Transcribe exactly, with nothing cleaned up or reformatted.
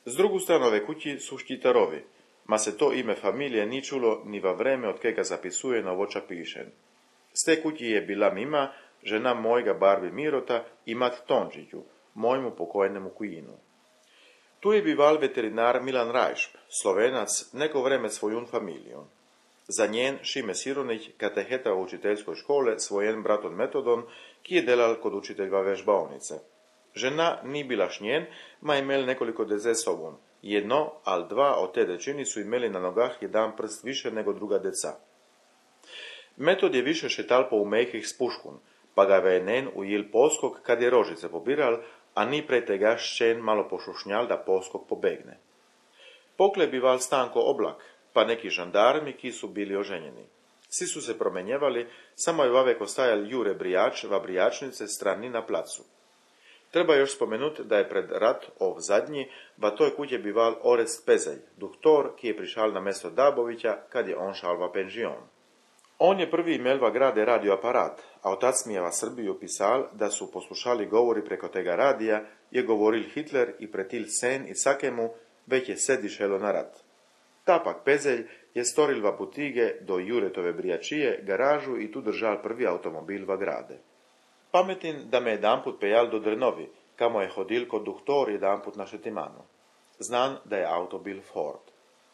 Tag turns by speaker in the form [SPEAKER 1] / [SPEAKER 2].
[SPEAKER 1] Z drugu stranu ove kući su Štitarovi, ma se to ime familije ni čulo ni va vreme od kega zapisuje novoča pišen. Z te kući je bila Mima, žena mojega barbi Mirota i mat Tončiću, mojmu pokojnemu kujinu. Tu je bival veterinar Milan Rajšp, Slovenac, neko vreme svojun familijom. Za njen Šime Sironić, kateheta u učiteljskoj škole, svojen braton Metodon, ki je delal kod učiteljva vežbaonice. Žena ni bila šnjen, ma imel nekoliko deze sobom. Jedno, al dva od te dečini su imeli na nogah jedan prst više nego druga deca. Metod je više šetal po umejkih s puškun, pa ga je nen ujil poskok kad je rožice pobiral, a ni prej tega ščen malo pošušnjal da poskok pobegne. Pokle bival Stanko Oblak, pa neki žandarmi, ki su bili oženjeni. Svi su se promenjevali, samo je vavek ostajal Jure Brijač, va Brijačnice strani na placu. Treba još spomenuti da je pred rat ov zadnji, va toj kuće bival Orest Pezelj, doktor, ki je prišal na mesto Dabovića, kad je on šal va penžion. On je prvi imel va grade radioaparat, a otac mi je va Srbiju pisal da su poslušali govori preko tega radija, je govoril Hitler i pretil sen i sakemu, već je se dišelo na rat. Tapak Pezelj je storil va putige do Juretove Brijačije, garažu i tu držal prvi automobil va grade. Pametin da me jedanput pejal do Drnovi, kamo je hodil kod doktor jedanput na Šetimanu. Znan da je auto bil Ford.